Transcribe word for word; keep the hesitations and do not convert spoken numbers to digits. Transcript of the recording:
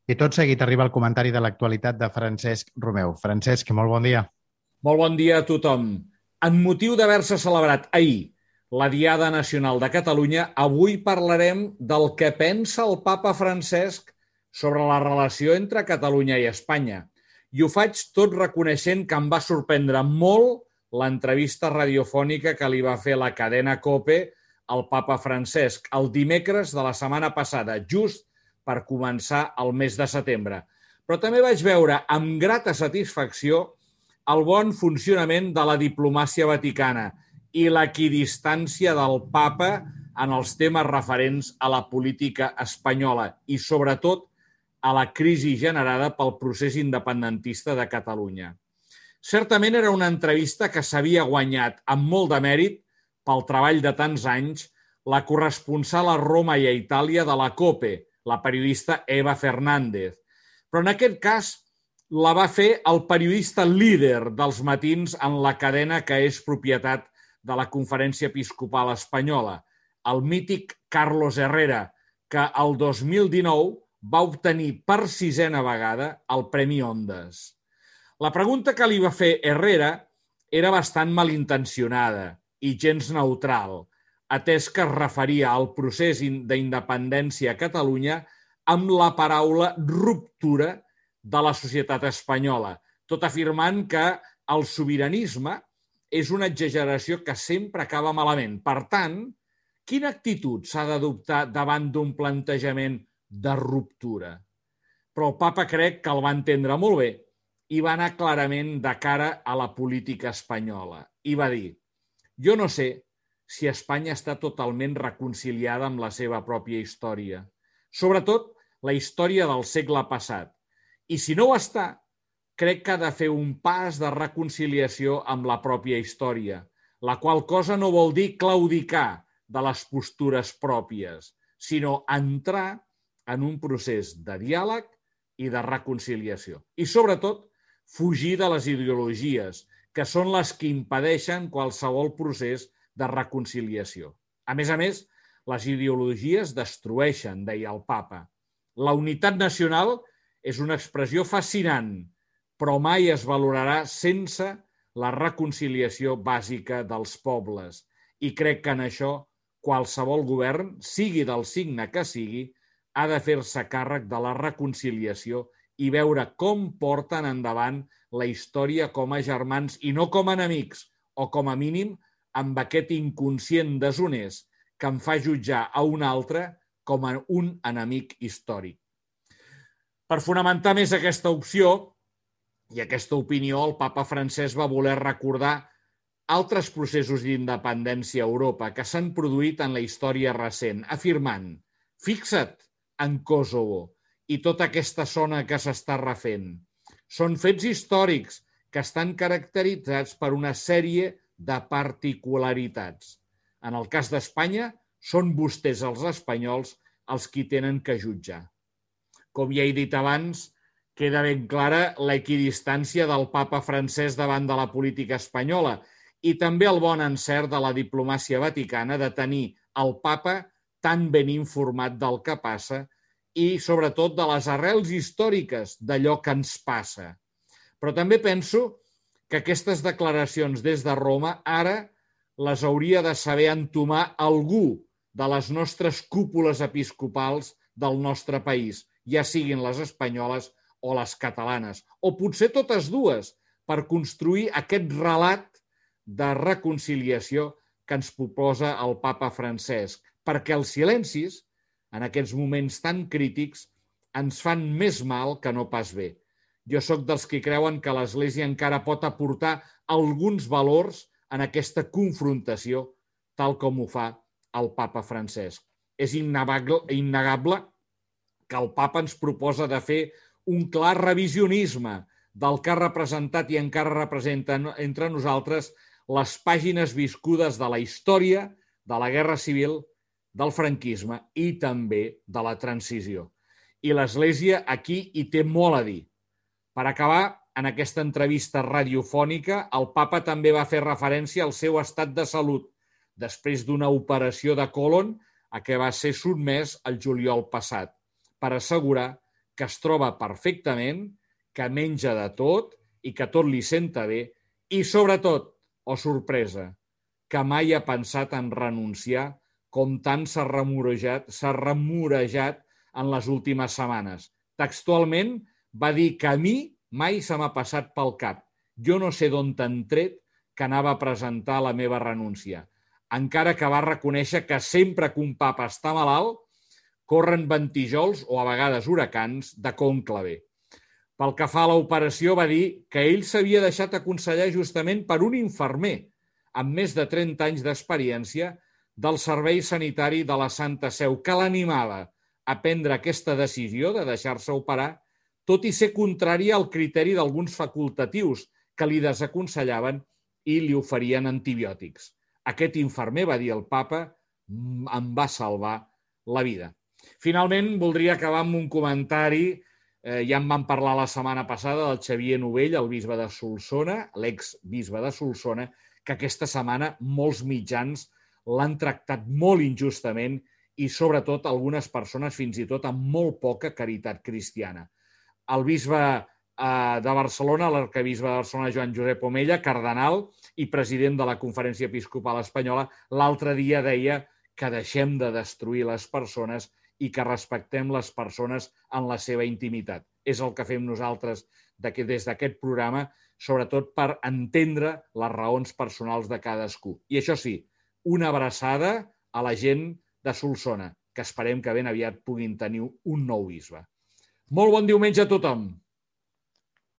I tot seguit arriba el comentari de l'actualitat de Francesc Romeu. Francesc, molt bon dia. Molt bon dia a tothom. En motiu d'haver-se celebrat ahir la Diada Nacional de Catalunya, avui parlarem del que pensa el papa Francesc sobre la relació entre Catalunya i Espanya. I ho faig tot reconeixent que em va sorprendre molt l'entrevista radiofònica que li va fer la cadena COPE al papa Francesc el dimecres de la setmana passada, just per començar el mes de setembre. Però també vaig veure amb grata satisfacció el bon funcionament de la diplomàcia vaticana i l'equidistància del papa en els temes referents a la política espanyola i, sobretot, a la crisi generada pel procés independentista de Catalunya. Certament era una entrevista que s'havia guanyat amb molt de mèrit pel treball de tants anys la corresponsal a Roma i a Itàlia de la COPE, la periodista Eva Fernández. Però en aquest cas la va fer el periodista líder dels matins en la cadena que és propietat de la Conferència Episcopal Espanyola, el mític Carlos Herrera, que el dos mil dinou va obtenir per sisena vegada el Premi Ondas. La pregunta que li va fer Herrera era bastant malintencionada i gens neutral, atès que es referia al procés d'independència a Catalunya amb la paraula ruptura de la societat espanyola, tot afirmant que el sobiranisme és una exageració que sempre acaba malament. Per tant, quina actitud s'ha d'adoptar davant d'un plantejament de ruptura? Però el papa crec que el va entendre molt bé i va anar clarament de cara a la política espanyola. I va dir: jo no sé si Espanya està totalment reconciliada amb la seva pròpia història, sobretot la història del segle passat. I si no ho està, crec que ha de fer un pas de reconciliació amb la pròpia història, la qual cosa no vol dir claudicar de les postures pròpies, sinó entrar en un procés de diàleg i de reconciliació. I, sobretot, fugir de les ideologies, que són les que impedeixen qualsevol procés de reconciliació. A més a més, les ideologies destrueixen, deia el papa. La unitat nacional és una expressió fascinant, però mai es valorarà sense la reconciliació bàsica dels pobles. I crec que en això qualsevol govern, sigui del signe que sigui, ha de fer-se càrrec de la reconciliació i veure com porten endavant la història com a germans i no com a enemics, o com a mínim amb aquest inconscient deshonest que em fa jutjar a un altre com a un enemic històric. Per fonamentar més aquesta opció i aquesta opinió, el papa Francesc va voler recordar altres processos d'independència a Europa que s'han produït en la història recent, afirmant: fixa't en Kosovo i tota aquesta zona que s'està refent. Són fets històrics que estan caracteritzats per una sèrie de particularitats. En el cas d'Espanya, són vostès els espanyols els qui tenen que jutjar. Com ja he dit abans, queda ben clara l'equidistància del papa Francesc davant de la política espanyola i també el bon encert de la diplomàcia vaticana de tenir el papa tan ben informat del que passa i, sobretot, de les arrels històriques d'allò que ens passa. Però també penso que aquestes declaracions des de Roma ara les hauria de saber entomar algú de les nostres cúpules episcopals del nostre país, ja siguin les espanyoles o les catalanes, o potser totes dues, per construir aquest relat de reconciliació que ens proposa el papa Francesc, perquè els silencis, en aquests moments tan crítics, ens fan més mal que no pas bé. Jo sóc dels que creuen que l'Església encara pot aportar alguns valors en aquesta confrontació, tal com ho fa el papa Francesc. És innegable, innegable que el papa ens proposa de fer un clar revisionisme del que ha representat i encara representa entre nosaltres les pàgines viscudes de la història, de la Guerra Civil, del franquisme i també de la transició. I l'Església aquí hi té molt a dir. Per acabar, en aquesta entrevista radiofònica, el papa també va fer referència al seu estat de salut després d'una operació de còlon a què va ser sotmès el juliol passat, per assegurar que es troba perfectament, que menja de tot i que tot li senta bé i, sobretot, oh sorpresa, que mai ha pensat en renunciar com tant s'ha remorejat, s'ha remorejat en les últimes setmanes. Textualment va dir que a mi mai se m'ha passat pel cap. Jo no sé d'on t'han tret que anava a presentar la meva renúncia. Encara que va reconèixer que sempre que un papa està malalt, corren ventijols o a vegades huracans de cònclave. Pel que fa a l'operació, va dir que ell s'havia deixat aconsellar justament per un infermer amb més de trenta anys d'experiència del Servei Sanitari de la Santa Seu, que l'animava a prendre aquesta decisió de deixar-se operar, tot i ser contrària al criteri d'alguns facultatius que li desaconsellaven i li oferien antibiòtics. Aquest infermer, va dir el papa, em va salvar la vida. Finalment, voldria acabar amb un comentari. Eh, ja en vam parlar la setmana passada del Xavier Novell, el bisbe de Solsona, l'exbisbe de Solsona, que aquesta setmana molts mitjans l'han tractat molt injustament i, sobretot, algunes persones fins i tot amb molt poca caritat cristiana. El bisbe eh, de Barcelona, l'arquebisbe de Barcelona, Joan Josep Omella, cardenal i president de la Conferència Episcopal Espanyola, l'altre dia deia que deixem de destruir les persones i que respectem les persones en la seva intimitat. És el que fem nosaltres des d'aquest programa, sobretot per entendre les raons personals de cadascú. I això sí, una abraçada a la gent de Solsona, que esperem que ben aviat puguin tenir un nou bisbe. Molt bon diumenge a tothom!